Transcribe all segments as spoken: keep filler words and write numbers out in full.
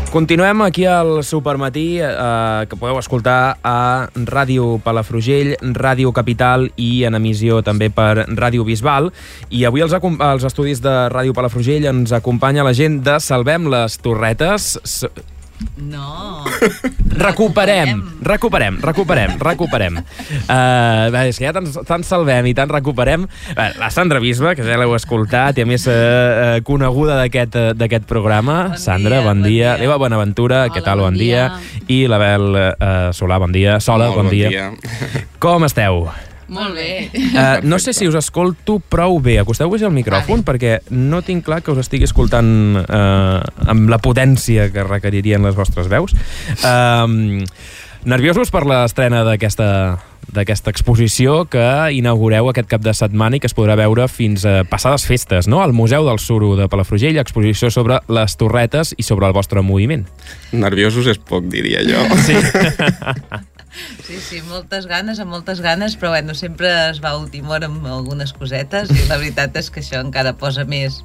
Continuem aquí al Supermatí, eh, que podeu escoltar a Ràdio Palafrugell, Ràdio Capital i en emissió també per Ràdio Bisbal. I avui als, als estudis de Ràdio Palafrugell ens acompanya la gent de Salvem les Torretes. No. Recuperem, recuperem, recuperem, recuperem. Uh, és que ja tant, tant salvem i tant recuperem. Uh, la Sandra Bisba, que ja l'heu escoltat i a més uh, coneguda d'aquest d'aquest programa. Bon Sandra, dia, bon, bon dia. dia. Eva Bonaventura, Hola, què tal? Bon, bon dia. dia. I l'Abel uh, Solà, bon dia. Sola, Molt bon, bon dia. dia. Com esteu? Molt bé. Uh, no sé si us escolto prou bé. Acosteu-vos al micròfon, perquè no tinc clar que us estigui escoltant uh, amb la potència que requeririen les vostres veus. Uh, nerviosos per l'estrena d'aquesta d'aquesta exposició que inaugureu aquest cap de setmana i que es podrà veure fins a passades festes, no? Al Museu del Suro de Palafrugell, exposició sobre les torretes i sobre el vostre moviment. Nerviosos és poc, diria jo. Sí. Sí, sí, moltes ganes, amb moltes ganes, però bueno, sempre es va a última hora amb algunes cosetes i la veritat és que això encara posa més,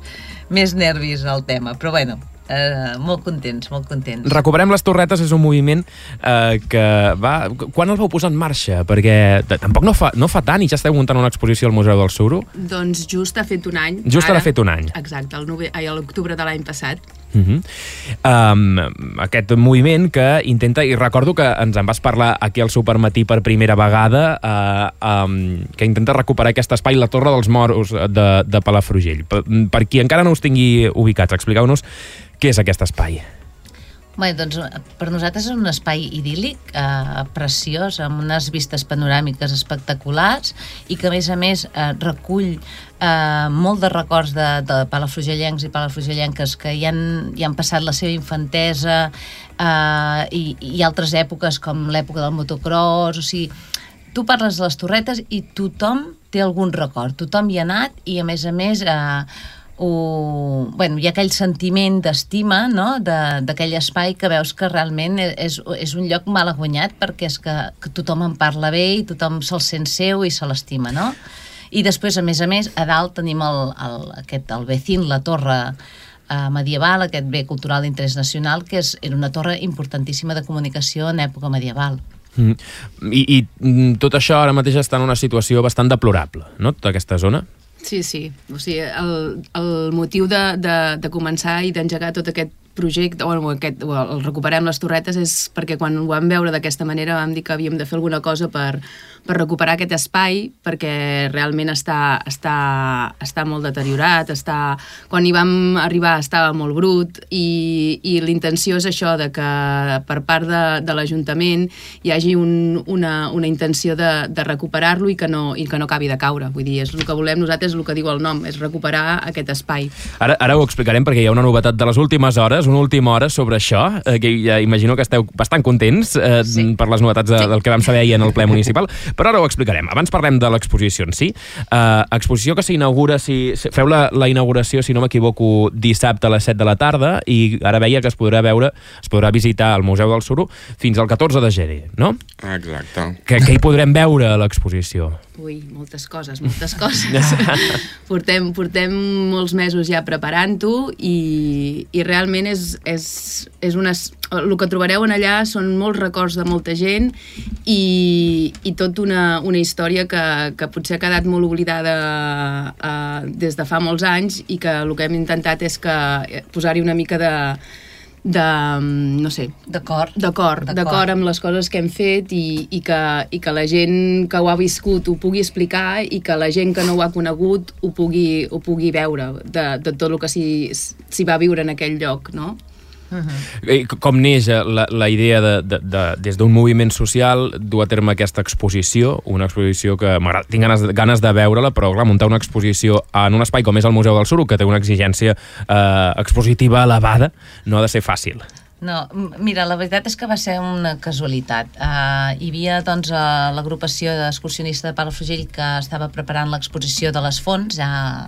més nervis al tema, però bueno, eh, molt contents, molt contents. Recuperem les Torretes és un moviment eh, que va... Quan el vau posar en marxa? Perquè tampoc no fa, no fa tant i ja esteu muntant una exposició al Museu del Suro. Doncs just ha fet un any. Just ara ha fet un any. Exacte, el nove... ai, a l'octubre de l'any passat. Uh-huh. um, aquest moviment que intenta, i recordo que ens en vas parlar aquí al Supermatí per primera vegada, uh, um, que intenta recuperar aquest espai, la Torre dels Moros de, de Palafrugell. Per, per qui encara no us tingui ubicats, expliqueu-nos què és aquest espai. Bé, doncs per nosaltres és un espai idíl·lic, eh, preciós, amb unes vistes panoràmiques espectaculars i que a més a més eh, recull eh, molt de records de, de palafrugellencs i palafrugellenques que ja han, ja han passat la seva infantesa eh, i, i altres èpoques com l'època del motocross, o sigui, tu parles de les Torretes i tothom té algun record, tothom hi ha anat i a més a més... Eh, O, bueno, hi ha aquell sentiment d'estima, no?, d'aquell espai que veus que realment és, és un lloc mal guanyat perquè és que, que tothom en parla bé i tothom se'l sent seu i se l'estima, no? I després, a més a més, a dalt tenim el, el, aquest, el Vecín, la torre eh, medieval, aquest bé cultural d'interès nacional, que és, era una torre importantíssima de comunicació en època medieval. Mm. I, I tot això ara mateix està en una situació bastant deplorable, no?, tota aquesta zona. Sí, sí. O sigui, el, el motiu de, de, de començar i d'engegar tot aquest projecte, o aquest, o el Recuperem les Torretes, és perquè quan ho vam veure d'aquesta manera vam dir que havíem de fer alguna cosa per, per recuperar aquest espai, perquè realment està, està, està molt deteriorat, està, quan hi vam arribar estava molt brut, i, i l'intenció és això, de que per part de, de l'Ajuntament hi hagi un, una, una intenció de, de recuperar-lo i que, no, i que no acabi de caure. Vull dir, és el que volem nosaltres, és el que diu el nom, és recuperar aquest espai. Ara, ara ho explicarem perquè hi ha una novetat de les últimes hores, una última hora sobre això, eh, que ja imagino que esteu bastant contents eh, sí. per les novetats de, sí. del que vam saber ahir en el ple municipal, però ara ho explicarem. Abans parlem de l'exposició en si. Uh, exposició que s'inaugura, si, si feu la, la inauguració, si no m'equivoco, dissabte a les set de la tarda, i ara veia que es podrà veure, es podrà visitar el Museu del Suro fins al catorze de gener, no? Exacte. Que, que hi podrem veure a l'exposició? Ui, moltes coses, moltes coses. portem, portem molts mesos ja preparant-ho i, i realment és, és, és unes... El que trobareu en allà són molts records de molta gent i, i tot una, una història que, que potser ha quedat molt oblidada eh, des de fa molts anys i que el que hem intentat és que posar-hi una mica de... de, no sé... D'acord. D'acord, d'acord amb les coses que hem fet i, i, que, i que la gent que ho ha viscut ho pugui explicar i que la gent que no ho ha conegut ho pugui, ho pugui veure de, de tot el que s'hi va viure en aquell lloc, no? Uh-huh. Com neix la, la idea de, de, de, des d'un moviment social dur a terme aquesta exposició, una exposició que tinc ganes, ganes de veure-la, però clar, muntar una exposició en un espai com és el Museu del Suro, que té una exigència eh, expositiva elevada, no ha de ser fàcil. No, mira, la veritat és que va ser una casualitat. Uh, hi havia doncs, uh, l'agrupació d'excursionistes de Palafrugell que estava preparant l'exposició de les fonts, ja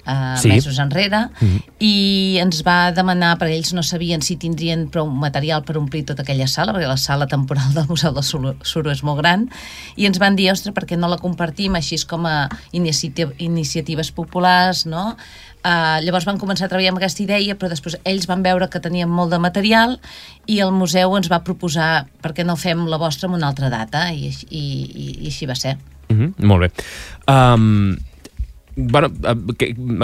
uh, sí. mesos enrere, Mm-hmm. i ens va demanar, perquè ells no sabien si tindrien prou material per omplir tota aquella sala, perquè la sala temporal del Museu del Suro, Suro és molt gran, i ens van dir, ostres, per què no la compartim així com a iniciativ iniciatives populars, no? Uh, llavors van començar a treballar amb aquesta idea, però després ells van veure que teníem molt de material i el museu ens va proposar per què no fem la vostra en una altra data, i, i, i, i així va ser. Mm-hmm, molt bé. Um, bueno,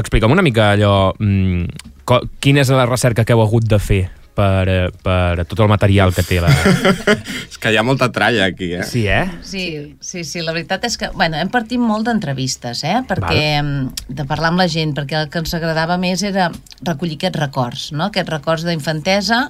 explica'm una mica allò, mm, co, quina és la recerca que heu hagut de fer per, per tot el material que té la... És que hi ha molta tralla aquí, eh? Sí, eh? Sí, sí, sí, la veritat és que, bueno, hem partit molt d'entrevistes, eh? Perquè, Val. de parlar amb la gent, perquè el que ens agradava més era recollir aquests records, no? Aquests records d'infantesa,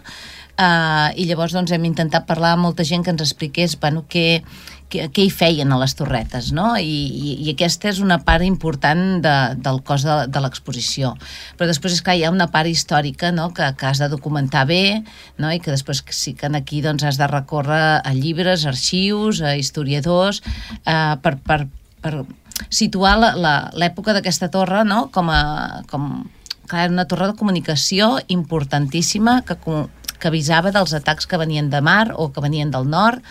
eh, i llavors doncs hem intentat parlar amb molta gent que ens expliqués, bueno, què, què, què hi feien a les torretes, no? I, i, i aquesta és una part important de, del cos de, de l'exposició. Però després, és clar, hi ha una part històrica, no? que, que has de documentar bé, no? I que després sí que aquí doncs, has de recórrer a llibres, arxius, a historiadors, eh, per, per, per situar l'època d'aquesta torre, no? com a... Com, clar, una torre de comunicació importantíssima que, que avisava dels atacs que venien de mar o que venien del nord.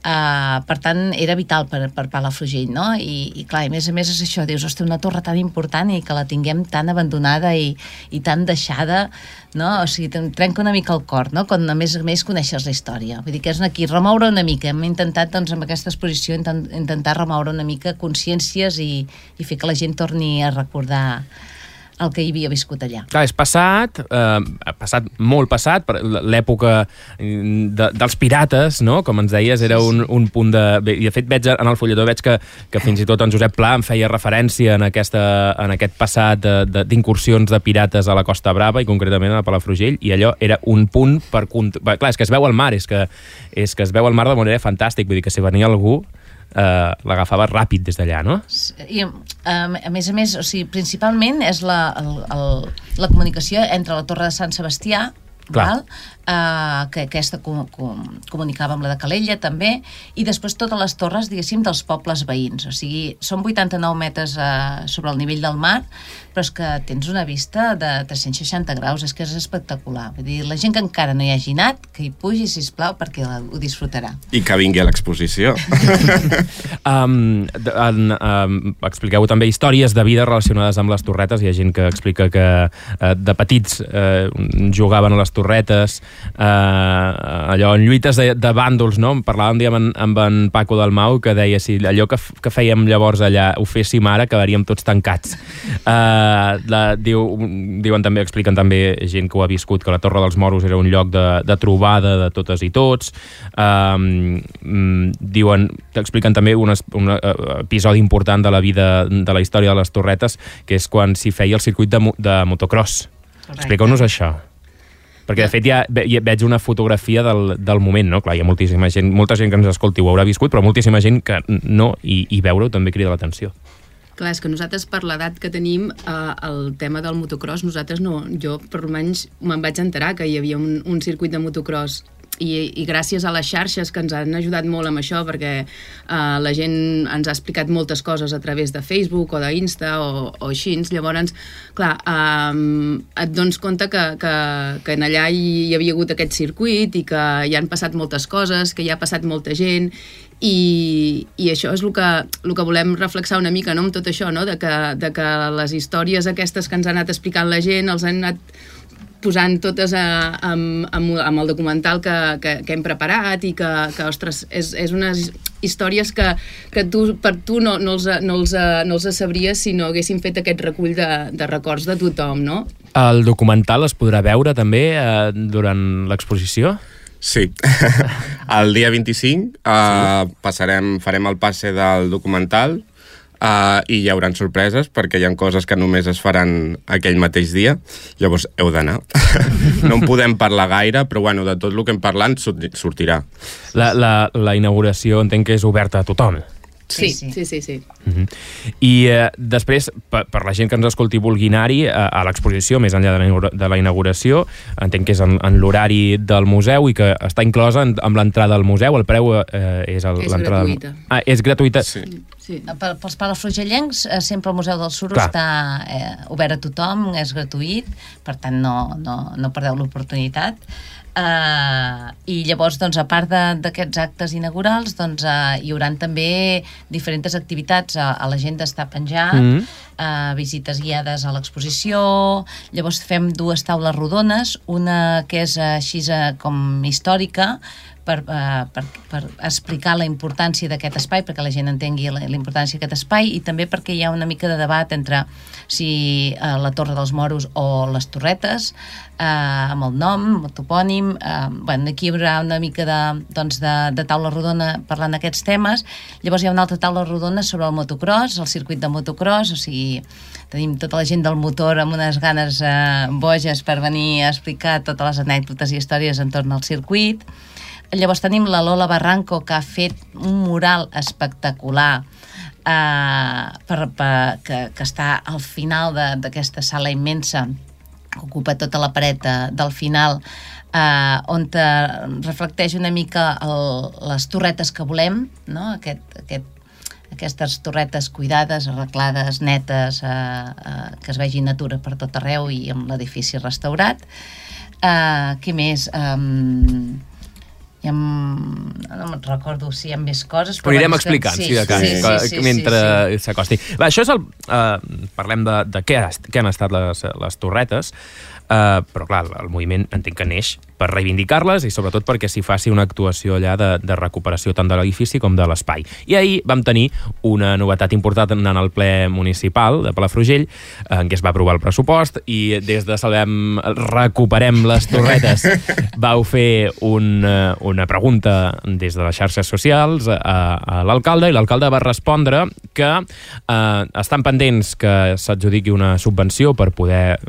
Uh, per tant, era vital per, per Palafrugell, no? I, i clar, a més a més és això, dius, hosti, una torre tan important i que la tinguem tan abandonada i, i tan deixada, no? O sigui, trenca una mica el cor, no? Quan a més a més coneixes la història. Vull dir que és aquí, remoure una mica. Hem intentat, doncs, amb aquesta exposició, intent, intentar remoure una mica consciències i, i fer que la gent torni a recordar el que hi havia viscut allà. Clar, és passat, eh, passat molt passat, l'època de, dels pirates, no? Com ens deies, era un, un punt de... I de fet, veig en el fulletó, veig que, que fins i tot en Josep Pla em feia referència en, aquesta, en aquest passat d'incursions de, de pirates a la Costa Brava i concretament a Palafrugell, i allò era un punt per... Clar, és que es veu el mar, és que, és que es veu el mar de manera fantàstic, vull dir que si venia algú... Uh, l'agafava ràpid des d'allà, no? I, um, a més a més, o sigui, principalment és la, el, el, la comunicació entre la Torre de Sant Sebastià, val? Uh, que aquesta com, com, comunicava amb la de Calella també, i després totes les torres, diguéssim, dels pobles veïns. O sigui, són vuitanta-nou metres uh, sobre el nivell del mar, però és que tens una vista de tres-cents seixanta graus, és que és espectacular. Vull dir, la gent que encara no hi hagi anat, que hi pugi, sisplau, perquè ho disfrutarà. I que vingui a l'exposició. um, en, um, expliqueu també històries de vida relacionades amb les torretes. Hi ha gent que explica que uh, de petits uh, jugaven a les torretes, uh, allò en lluites de, de bàndols, no? Parlàvem un dia amb en, amb en Paco Dalmau, que deia si allò que, que fèiem llavors allà ho féssim ara, quedaríem tots tancats. Uh, la, diu, diuen també, expliquen també gent que ho ha viscut, que la Torre dels Moros era un lloc de, de trobada de totes i tots. Um, diuen, expliquen també un, un episodi important de la vida, de la història de les torretes, que és quan s'hi feia el circuit de, de motocross. Expliqueu-nos això. Perquè, de fet, ja, ja veig una fotografia del, del moment, no? Clar, hi ha moltíssima gent, molta gent que ens escolti ho haurà viscut, però moltíssima gent que no, i, i veure-ho també crida l'atenció. Clar, és que nosaltres, per l'edat que tenim, eh, el tema del motocross, nosaltres no... Jo, per almenys, me'n vaig enterar que hi havia un, un circuit de motocross i, i gràcies a les xarxes que ens han ajudat molt amb això, perquè eh, la gent ens ha explicat moltes coses a través de Facebook o d'Insta o, o així. Llavors, clar, eh, et dones compte que, que, que en allà hi, hi havia hagut aquest circuit i que hi han passat moltes coses, que hi ha passat molta gent. I, i això és el que, el que volem reflexar una mica, no?, amb tot això, no?, de que, de que les històries aquestes que ens ha anat explicant la gent els han anat posant totes a, amb, amb, amb el documental que, que, que hem preparat i que, que ostres, és, és unes històries que, que tu, per tu no, no, els, no, els, no els sabries si no haguéssim fet aquest recull de, de records de tothom, no? El documental es podrà veure també eh, durant l'exposició? Sí. El dia vint-i-cinc uh, passarem, farem el passe del documental uh, i hi haurà sorpreses perquè hi ha coses que només es faran aquell mateix dia, llavors heu d'anar. No en podem parlar gaire, però bueno, de tot el que hem parlat sortirà. La, la, la inauguració entenc que és oberta a tothom. Sí, sí, sí. sí, sí. Uh-huh. I eh, després, per, per la gent que ens escolti i vulgui anar-hi, a, a l'exposició, més enllà de la, de la inauguració, entenc que és en, en l'horari del museu i que està inclosa en, amb l'entrada al museu. El preu eh, és... El, és gratuïta. Ah, és gratuïta. Sí. Sí. Per, pels palafrugellencs, eh, sempre el Museu del Suro Clar. està eh, obert a tothom, és gratuït, per tant no, no, no perdeu l'oportunitat. Uh, i llavors, doncs, a part d'aquests actes inaugurals, doncs, uh, hi haurà també diferents activitats. A, a l'agenda està penjat, mm -hmm. uh, visites guiades a l'exposició. Llavors fem dues taules rodones, una que és uh, així uh, com històrica, Per, uh, per, per explicar la importància d'aquest espai, perquè la gent entengui la, la importància d'aquest espai, i també perquè hi ha una mica de debat entre si uh, la Torre dels Moros o les Torretes, uh, amb el nom, amb el topònim. Uh, bueno, aquí hi haurà una mica de, doncs de, de taula rodona parlant d'aquests temes. Llavors hi ha una altra taula rodona sobre el motocross, el circuit de motocross, o sigui, tenim tota la gent del motor amb unes ganes uh, boges per venir a explicar totes les anècdotes i històries entorn al circuit. Llavors tenim la Lola Barranco, que ha fet un mural espectacular eh, per, per, que, que està al final d'aquesta sala immensa, que ocupa tota la paret de, del final, eh, on te reflecteix una mica el, les torretes que volem, no? Aquest, aquest, aquestes torretes cuidades, arreglades, netes, eh, eh, que es vegi natura per tot arreu i amb l'edifici restaurat. Eh, què més? Eh, I amb... no me'n recordo si hi ha més coses, però, però anirem explicant, sí, si de cas, sí, sí, sí, mentre sí, sí. s'acosti. Va, això és el... Uh, parlem de, de què, què han estat les, les torretes, uh, però clar, el moviment entenc que neix per reivindicar-les i sobretot perquè s'hi faci una actuació allà de, de recuperació tant de l'edifici com de l'espai. I ahir vam tenir una novetat important en el ple municipal de Palafrugell, en què es va aprovar el pressupost, i des de Salvem Recuperem les Torretes vau fer un, una pregunta des de les xarxes socials a, a l'alcalde, i l'alcalde va respondre que eh, estan pendents que s'adjudiqui una subvenció per poder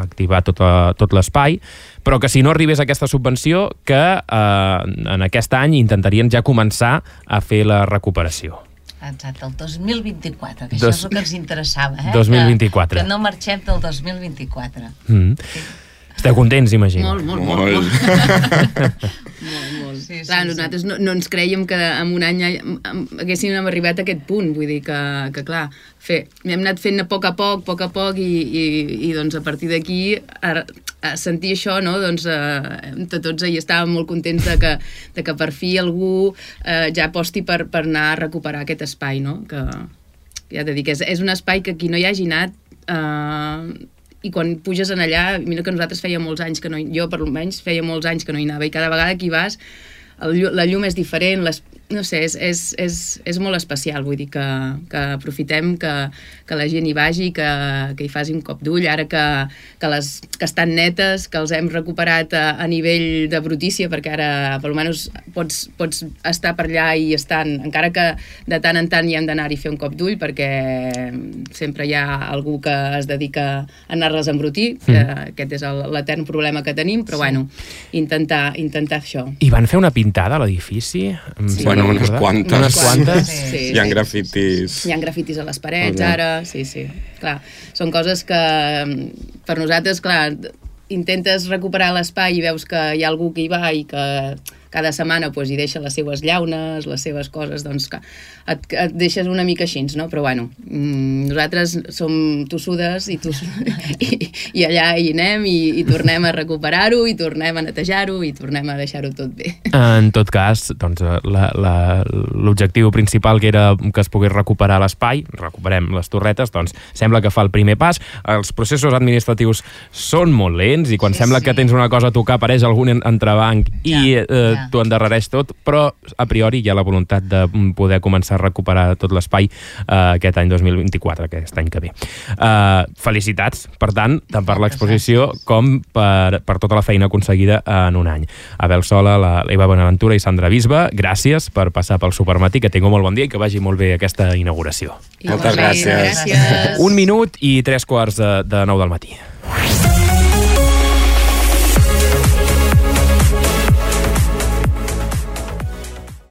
activar tot, a, tot l'espai, però que si no arribés aquesta subvenció, que eh, en aquest any intentarien ja començar a fer la recuperació. Exacte, el dos mil vint-i-quatre, que Dos... això és el que ens interessava, eh? dos mil vint-i-quatre. Que, que no marxem del dos mil vint-i-quatre. Mm. Sí. Esteu contents, imagino. Molt, molt, molt. Molt, molt. molt. Sí, sí, clar, sí. nosaltres no, no ens creiem que en un any haguéssim arribat a aquest punt, vull dir que, que clar, fer, hem anat fent a poc a poc, a poc a poc, i, i, i doncs a partir d'aquí a, a sentir això, no, doncs eh, tots hi estàvem molt contents de que, de que per fi algú eh, ja aposti per, per anar a recuperar aquest espai, no, que ja t'he dit que és, és un espai que qui no hi hagi anat eh, i quan puges en allà, mira que nosaltres feia molts anys que no hi, jo per almenys feia molts anys que no hi anava, i cada vegada que hi vas el, la llum és diferent, les, no sé, és, és, és, és molt especial, vull dir que, que aprofitem que, que la gent hi vagi, que, que hi faci un cop d'ull, ara que, que, les, que estan netes, que els hem recuperat a, a nivell de brutícia, perquè ara per almenys pots, pots estar per allà i estan, encara que de tant en tant hi hem d'anar-hi a fer un cop d'ull, perquè sempre hi ha algú que es dedica a anar-les a embrutir, que mm. aquest és l'etern problema que tenim, però sí. bueno, intentar, intentar això. I van fer una pintada a l'edifici? Sí. Bueno, unes quantes. Unes quantes? Sí, sí, hi ha sí, grafitis. Sí, sí. Hi ha grafitis a les parets, okay. ara, sí, sí. Clar, són coses que per nosaltres, clar, intentes recuperar l'espai i veus que hi ha algú que hi va i que cada setmana pues, hi deixa les seves llaunes, les seves coses, doncs que et, et deixes una mica així, no? Però bueno, nosaltres som tossudes i, toss... I, i allà hi anem i, i tornem a recuperar-ho i tornem a netejar-ho i tornem a deixar-ho tot bé. En tot cas, doncs, l'objectiu principal que era que es pogués recuperar l'espai, recuperem les torretes, doncs sembla que fa el primer pas. Els processos administratius són molt lents i quan sí, sembla sí. que tens una cosa a tocar apareix algun entrebanc i ja, eh, ja. t'ho endarrereix tot, però a priori hi ha la voluntat de poder començar a recuperar tot l'espai uh, aquest any dos mil vint-i-quatre, aquest any que ve. Uh, felicitats, per tant, tant per l'exposició com per, per tota la feina aconseguida en un any. Abel Sola, la Eva Bonaventura i Sandra Bisbe, gràcies per passar pel Supermatí, que tingueu molt bon dia i que vagi molt bé aquesta inauguració. Moltes gràcies. gràcies. Un minut i tres quarts de, de nou del matí.